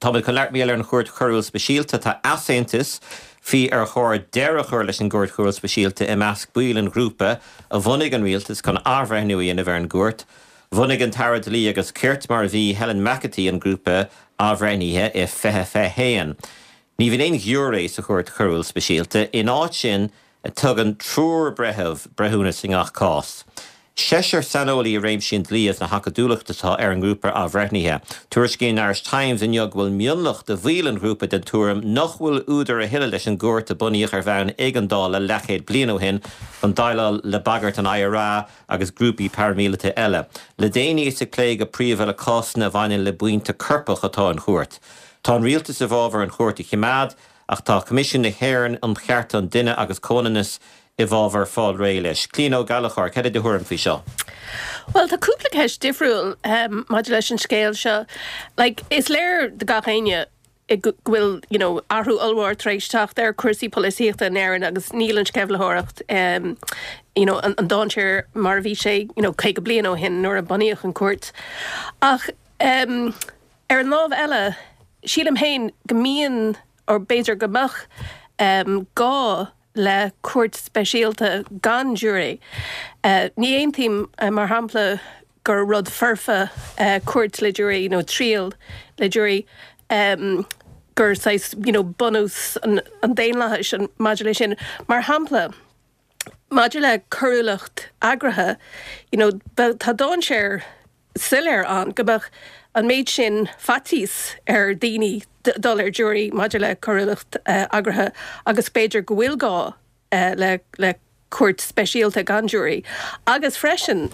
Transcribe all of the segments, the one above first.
Táimid chun labhairt mar gheall ar an Chúirt Choiriúil Speisialta. Tá easaontas faoi ar chóir deireadh a chur leis an gCúirt Choiriúil Speisialta i measc baill an ghrúpa a bhunaigh an rialtas chun athbhreithniú a dhéanamh ar an gcúirt. Bhunaigh an tAire Dlí agus Cirt, mar a bhí, Helen McEntee an grúpa athbhreithnithe i 2021. Ní bhíonn aon ghiúiré sa Chúirt Choiriúil Speisialta. Ina áit sin, Tugann triúr breitheamh breithiúnas i ngach cás. Seisear saineolaí i réimsí an dlí agus na hacadúlachta atá ar an ngrúpa athbhreithnithe. Tuairiscíonn an Irish Times inniu go bhfuil mionlach de bhaill an ghrúpa den tuairim nach bhfuil údar a thuilleadh leis an gcúirt a bunaíodh ar bhonn éigeandála leathchéad bliain ó shin chun déileáil le bagairt an IRA agus grúpaí paraimíleata eile. Le déanaí is ag plé go príomha le cásanna a bhaineann le buíonta coirpeach atá an chúirt. Tá an rialtas i bhfabhar an chúirt a choimeád. Ach tá Coimisiún na hÉireann um Chearta an Duine agus Comhionannas i bhfabhar fáil réidh leis. Clíona Ó Gallchóir, cad é do thuairim faoi seo? Bhuel, tá cúpla ceist difriúil maidir leis an scéal seo. Like, is léir do gach éinne go bhfuil, you know, athrú ollmhór tar éis teacht ar cúrsaí polaitíochta in Éirinn agus níl an sceimhlitheoireacht, you know, an dainséar mar a bhí sé, you know, 50 bliain ó shin nuair a bunaíodh an cúirt. Ach ar an lámh eile, Sílim féin go mbíonn, or b'fhéidir go mbeadh, gá le cúirt speisialta gan giúiré. Ní aontaím, mar shampla, gur rud foirfe cúirt le giúiré nó triail le giúiré, gur saghas, you know, bunús an daonlathais maidir leis sin. Mar shampla, maidir le coiriúlacht eagraithe, you know, tá dainséar soiléir ann go mbeadh an méid sin faitíos ar daoine dul ar giúiré maidir le coiriúlacht eagraithe agus b'fhéidir go bhfuil gá le le cúirt speisialta gan giúiré. Agus freisin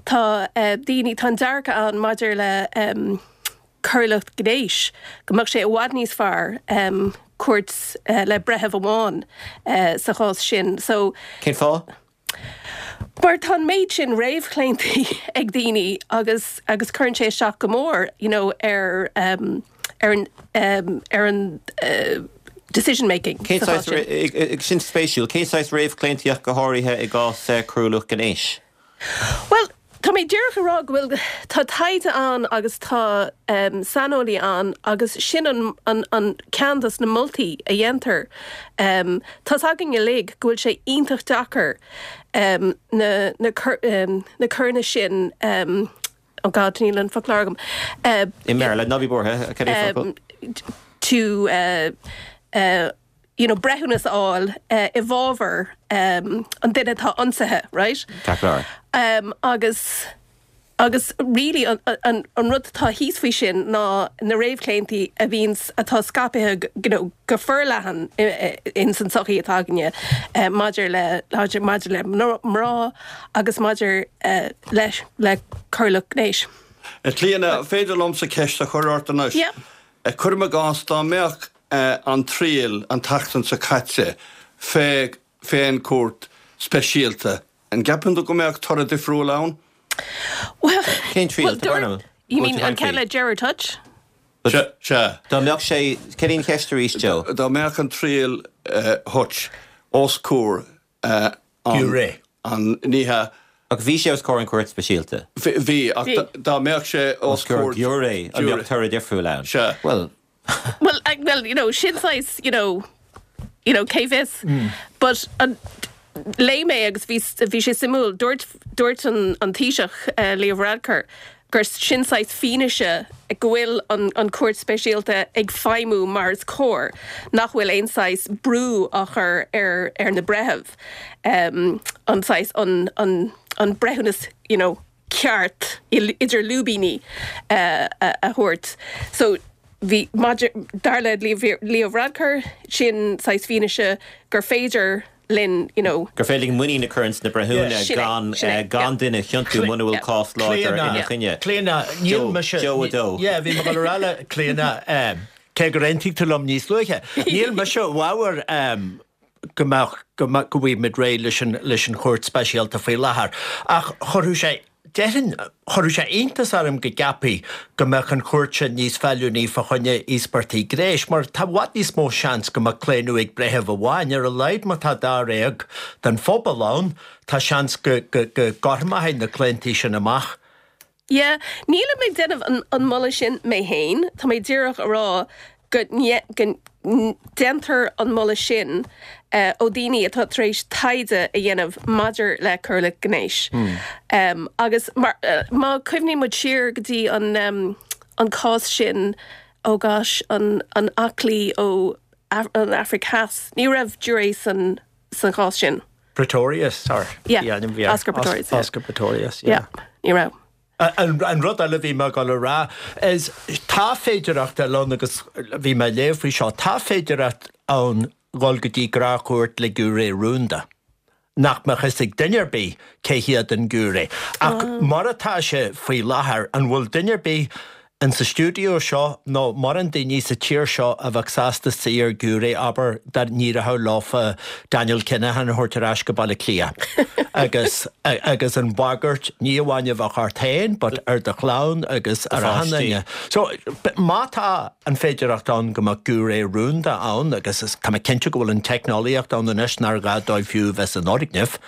tá daoine, tá an dearcadh ann maidir le coiriúlacht gnéis, go mbeadh sé i bhfad níos fearr cúirt le breitheamh amháin sa chás sin. So. Cén fáth? Mar tá an méid sin réamhchlaontaí ag daoine agus agus cuireann sé isteach go mór you know ar ar an ar an decision making Cén sa chás sin. Sin spéisiúil. Cén saghas réamhchlaontaí ach go háirithe i gcás coiriúlacht gnéis? Bhuel, tá mé díreach ag rá go bhfuil, tá taighde ann agus tá saineolaí ann agus sin an, an, an ceann dos na moltaí a dhéantar. Tá's againn uilig go bhfuil sé iontach deacair na, na, na coireanna sin, oh God, níl an foclóir agam. I mBéarla, ná bí buartha, cad é an focal? To you know, breithiúnas a fháil i bhfabhar an duine atá ionsaithe, right? Ceart go leor. Agus, agus really an, an, an rud atá thíos faoi sin ná na réamhchlaontaí a bhíonns, atá scaipthe, you know, go forleathan ins an tsochaí atá againne maidir le, maidir le mná agus maidir le, le coiriúlacht gnéis. A Chlíona, féidir liomsa ceist a chur ort anois? Yeah. Cuirim i gcás dá mbeadh an triail an tseachtain seo caite fé fén gcúirt speisialta. An gceapann tú go mbeadh toradh difriúil ann? Bhuel, Cén triail? Tá brón orm. You mean an ceann le Gerard Hutch? Sea, sea. Dá mbeadh sé, cén í an cheist arís, Joe? Dá mbeadh an triail Hutch os comhair an. Giúiré. An, ní hea. Ach bhí sé os comhair an Chúirt Speisialta. Bhí, ach dá mbeadh sé os comhair. Giúiré, an mbeadh toradh difriúil ann? Sea. Bhuel. Bhuel, well, you know, sin saghas, you know, you know, cé bhfios. But an, léigh mé agus bhí, bhí sé suimiúil, dúirt, dúirt an, an Taoiseach, Leo Varadkar, gur sin saghas fianaise go bhfuil an, an Chúirt Speisialta ag feidhmiú mar is cóir, nach bhfuil aon saghas brú á chur ar, ar na breithimh, an saghas, an, an, an breithiúnas, you know, ceart idir lúibíní a thabhairt. So bhí, maidir, dar le Leo Varadkar, sin saghas fianaise gur féidir linn, you know. gur féidir linn muinín a chur ins na breithiúna gan, gan duine a chiontú muna bhfuil cás láidir ina choinne. Clíona, níl mise. Joe 2. Yeah, bhí mé ag dul a rá le Clíona, cé gur aontaigh tú liom níos luaithe, níl mise i bhfabhar go mbeadh, go mbeadh, go bhfaighimid réidh leis an, leis an Chúirt Speisialta faoi láthair. Ach chuirfeadh sé, déarfainn, chuirfeadh sé iontas orm go gceapfaí go mbeadh an chúirt sin níos feiliúnaí fá choinne íospartaigh gnéis, mar tá i bhfad níos mó seans go mbeadh claonadh ag breitheamh amháin, ar a laghad má tá dáréag den phobal ann, tá seans go, go, go gcothromofaí na claontaí sin amach. Yeah, nílim ag déanamh an moladh sin mé féin, tá mé díreach a rá go ndéantar an moladh sin ó daoine atá tar éis taighde a dhéanamh maidir le coiriúlacht gnéis. Agus má cuimhníonn muid siar go dtí an cás sin, oh gosh, an aclaí ó an Afraic Theas, ní raibh giúiré san chás sin. Pretorius, sorry. Yeah, Oscar Pretorius. Oscar Pretorius, yeah. Yeah, ní raibh. An rud eile a bhí mé ag dul a rá is tá féidearthacht eile ann agus bhí mé ag léamh faoi seo, tá féidearthacht ann dhul go dtí gnáthchúirt le giúiré rúnda, nach mbeadh fhios ag duine ar bith cé hiad an giúiré. Ach mar atá sé faoi láthair, an bhfuil duine ar bith In sa stiúideo seo, nó mórán daoine sa tír seo a bheadh sásta suí ar ghiúiré, abair, dá n-éireodh leofa Daniel Kinahan a thabhairt ar ais go Baile Átha Cliath agus agus an bhagairt ní amháin a bheadh ort féin but ar do chlann agus ar achan duine. So, má tá an féidearthacht ann go mbeadh giúiré rúnda ann agus is tá mé cinnte go bhfuil an teicneolaíocht ann anois nár ghá dóibh fiú a bheith san fhoirgneamh,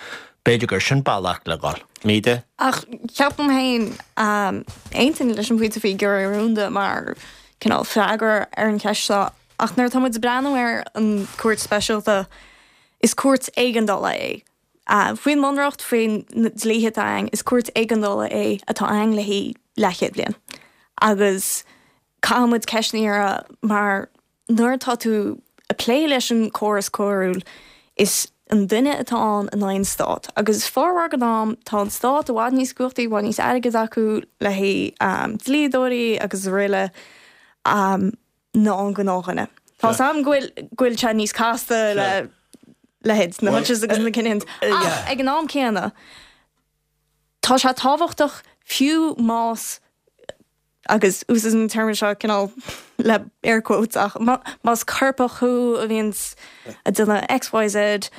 B'fhéidir gur sin bealach le dhul. Míde. Ach ceapaim féin, aontaím leis an bpointe faoi giúiré rúnda mar cineál freagra ar an cheist seo, ach nuair atá muid ag breathnú ar an Chúirt Speisialta, is cúirt éigeandála é. Faoin mBunreacht, faoin na dlíthe atá ann, is cúirt éigeandála é atá ann le haghaidh leathchéad bliain. Agus caithfidh muid ceist a iarraidh mar Nuair atá tú ag plé leis an córas coiriúil, is an duine atá ann in aghaidh an stát. Agus formhór den am, tá an stát i bhfad níos cumhachtaí, i bhfad níos airgid acu le haghaidh dlíodóirí agus araile ná an gnáthdhuine. Tá 's agam go bhfuil go bhfuil sé níos casta le leithéid na Hutches agus na Kinahans, ach ag an am céanna, tá sé tábhachtach fiú más agus úsáidim an téarma seo cineál le air quotes ach más coirpeach thú a bhíonns ag déanamh XYZ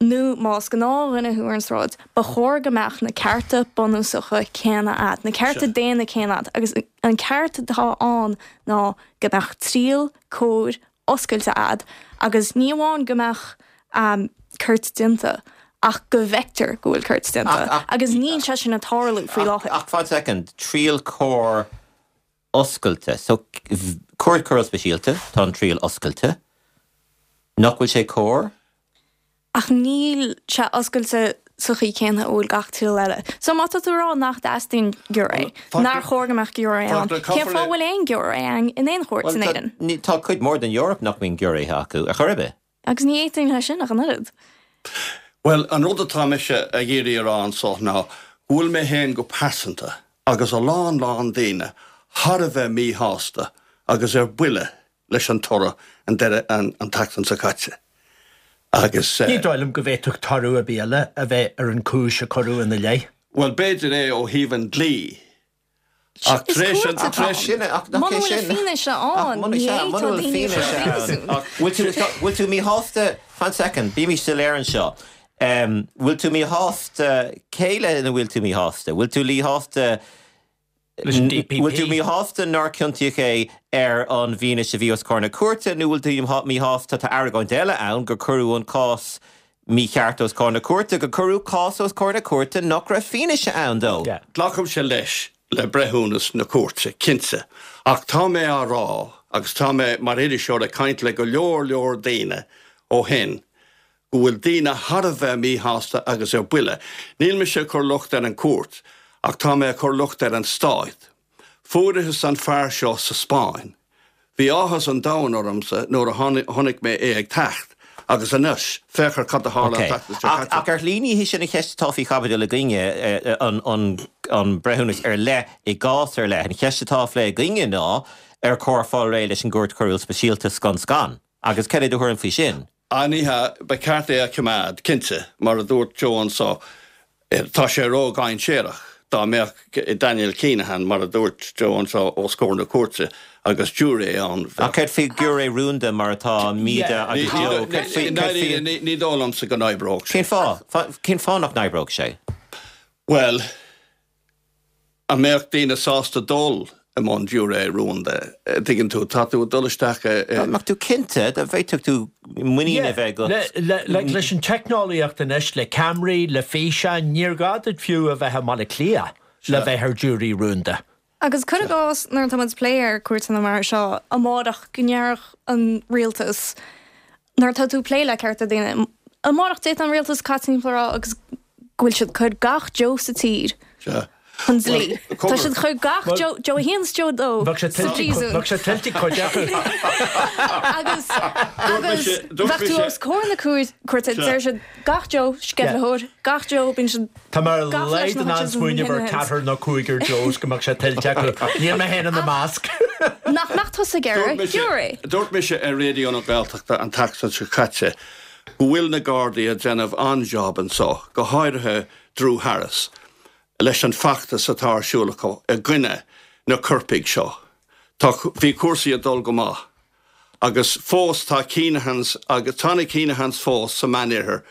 nó más gnáthdhuine thú ar an sráid, ba chóir go mbeadh na cearta bunúsacha céanna agat, na cearta daonna céanna agat agus an ceart atá ann ná go mbeadh triail cóir oscailte agat agus ní amháin go mbeadh ceart déanta ach go bhfeictear go bhfuil ceart déanta agus níl sé sin ag tarlú faoi láthair. Ach fan soicind, triail cóir oscailte, so cúirt choiriúil speisialta, tá an triail oscailte, nach bhfuil sé cóir? Ach níl sé oscailte sa chaoi céanna a bhfuil gach triail eile. So má tá tú ag rá nach dteastaíonn giúiré, nár chóir go mbeadh giúiré ann, cén fáth a bhfuil aon giúiré ann in aon chúirt in Éirinn? Bhuel, tá cuid mhór den Eoraip nach mbíonn giúiréithe acu, ar chor ar bith. Agus ní aontaím leis sin ach an oiread. Bhuel, an rud atá mise ag iarraidh a rá anso ná go bhfuil mé féin go pearsanta, agus a lán lán daoine, thar a bheith míshásta agus ar buile leis an toradh an deireadh an tseachtain seo caite agus. Ní dóigh liom go bhféadfadh toradh ar bith eile a bheith ar an chúis a cuireadh ina leith. Bhuel, b'fhéidir é ó thaobh an dlí, ach tar éis an. Is cúirt atá ann. Muna bhfuil fianaise ann, ní fhéadfá daoine a chur i bpríosún. Bhfuil tú míshásta, fan soicind, bímis soiléir anseo, bhfuil tú míshásta, cé lena bhfuil tú míshásta? Bhfuil tú míshásta leis an DPP. Bhfuil tú míshásta nár ciontaíodh é ar an bhfianaise a bhí os comhair na cúirte nó bhfuil tú míshásta, tá argóint eile ann, gur cuireadh an cás mícheart os comhair na cúirte, gur cuireadh cás os comhair na cúirte nach raibh fianaise ann dó? Glacaimse leis le breithiúnas na cúirte, cinnte, ach tá mé á rá, agus tá mé mar iriseoir ag caint le go leor leor daoine ó shin, go bhfuil daoine thar a bheith míshásta agus ar buile. Níl mise ag cur locht ar an chúirt, ach tá mé ag cur locht ar an stát. Fuarthas an fear seo sa Spáinn. Bhí áthas an domhain ormsa nuair a chonaic mé é ag teacht, agus anois, féach ar cad a tharla an tseachtain seo caite. Ach ar shlí ní hí sin an cheist atá faoi chaibidil againne, an breithiúnas ar leith i gcás ar leith. An cheist atá á phlé againne ná ar chóir fáil réidh leis an gCúirt Choiriúil Speisialta scun scan? Agus cad é do thuairim faoi sin? Ah ní hea, ba cheart é a choimeád, cinnte. Mar a dúirt Joe anso, tá sé ró-dhainséarach dá mbeadh Daniel Kinahan, mar a dúirt Joe anso, os comhair na cúirte agus giúiré ann. Ach céard faoi ghiúiré rúnda mar atá Míde agus Joe? Céard faoi, céard faoi. Ní dóigh liomsa go n-oibreodh sé. Cén fáth? Cén fáth nach n-oibreodh sé? Bhuel. An mbeadh daoine sásta dul i mbun giúiré rúnda? Tuigeann tú, tá tú ag dul isteach i. Dá mbeadh tú cinnte, dá bhféadfadh tú muinín a bheith agat. Like, leis an teicneolaíocht anois, le ceamaraí, le físeáin, níor ghá duit fiú a bheith i mBaile Átha Cliath. le bheith ar giúiré rúnda. Agus cuir i gcás, nuair atá muid ag plé ar cúirteanna mar seo, amárach go ndéarfadh an rialtas, nuair atá tú ag plé le cearta daoine, amárach d'fhéadfadh an rialtas caint timpeall a rá agus go bhfuil siad ag cur gach Joe sa tír chun dlí. Tá siad ag cur gach Joe, Joe 1 is Joe 2 Bheadh sé sa phríosún. Bheadh sé tuillte cuid acu. Agus, agus bheadh tú os comhair na cúirte, deir siad gach Joe, sceimhlitheoir, gach Joe, bíonn siad Tá mé ar a laghad in ann smaoineamh ar ceathrar nó cúigear Joes go mbeadh sé tuillte acu. Níl mé féin ina measc. Nach mbeadh tusa ag iarraidh giúiré? Dúirt mise ar Raidió na Gaeltachta an tseachtain seo caite go bhfuil na Gardaí ag déanamh an-job anso, go háirithe Drew Harris, leis an feachtas atá ar siúl acu i gcoinne na coirpigh seo. Tá, bhí cúrsaí ag dul go maith agus fós tá Keenahans agus tá na Keenahans fós sa Meánoirthear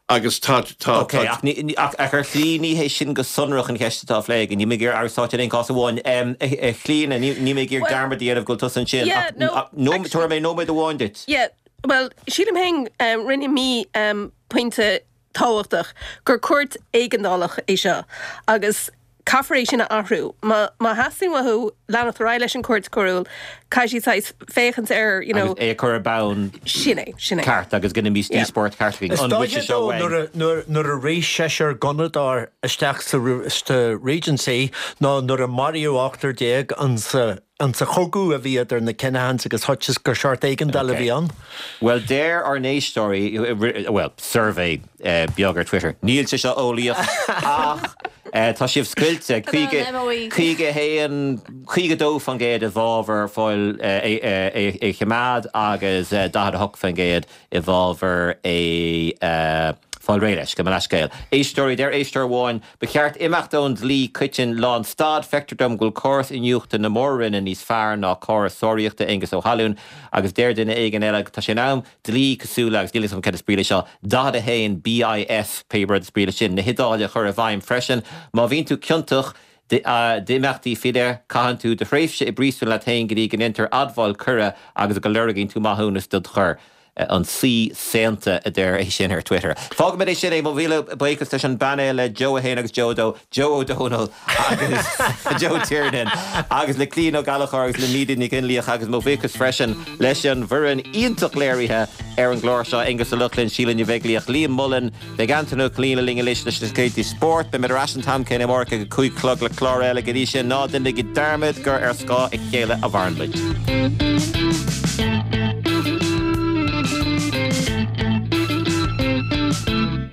Agus tá, tá, Ok, tá. ach ní, ach, ach ar shlí ní hé sin go sonrach an cheist atá á phlé againn. Níl mé ag iarraidh Aire Stáit in aon chás amháin. A Chlíona, ní, níl mé ag iarraidh Well, dearmad a dhéanamh go bhfuil tusa ansin yeah, ach, no, ach nó, actually, tabharfaidh mé nóiméad amháin duit. yeah, well, sílim féin, rinne mé pointe tábhachtach gur cúirt éigeandálach é seo agus Caithfear é sin a athrú. Má má theastaíonn uathu leanacht ar aghaidh leis an Chúirt Choiriúil, caithfidh siad saghas féachaint ar, you know. Agus é a chur ar bonn Sin é, sin é. ceart agus go mbíos Yeah. díospóireacht ceart againn. Is An bhfuil dóiche sé seo dó uainn? nuair a nuair nuair a rith seisear gunnadóir isteach sa sa Regency nó nuair a maraíodh 18 insa insa chogadh a bhí idir na Kinahans agus Hutches gur seort éigeandáil a Okay. bhí ann. Bhuel, deir ár n-éisteoirí, bhuel, suirbhé beag ar Twitter, níl sé seo eolaíoch ach tá sibh scoilte, 51, 52% i bhfabhar fáil é a choimeád agus 48% i bhfabhar é fáil réidh leis, gabh mo leithscéal. Éisteoirí, deir éisteoir amháin, Ba cheart imeacht ón dlí coiteann lánstad. Feictear dom go bhfuil córas iniúchta na Mór-Roinne níos fearr ná córas sáraíochta Aengus Ó hAlúin agus deir duine éigin eile tá sé in am dlí cosúil le, agus níl 'fhios agam céard is brí leis seo, 41 BIS, pé rud is brí leis sin, na hIodáile a chur i bhfeidhm freisin. Má bhíonn tú ciontach d'imeachtaí faoi leith, caitheann tú do thréimhse i bpríosún leat féin go dtí go ndéantar admháil coire agus go lorgaíonn tú maithiúnas dod choir. An saoi saonta a deir é sin ar Twitter. Fágfaimid é sin é. Mo mhíle buíochas leis an bpainéal le Joe 1 agus Joe 2, Joe Ó Dónaill agus Joe Tiernan agus le Clíodhna Ó Gallchóir agus le Míde Nic Fhionnlaoich agus mo bhuíochas freisin leis an bhfoireann iontach léirithe ar an gclár seo, Aonghus Ó Lochlainn, Síle Ní Bheaglaoich, Liam Mullen, Beidh Antaine Ó Cillín linn anois leis na scéaltaí spóirt. Beimid ar ais an t-am céanna amárach ag a 5 a chlog le clár eile. Go dtí sin, ná déanaigí dearmad gur ar scáth a chéile a mhaireann muid.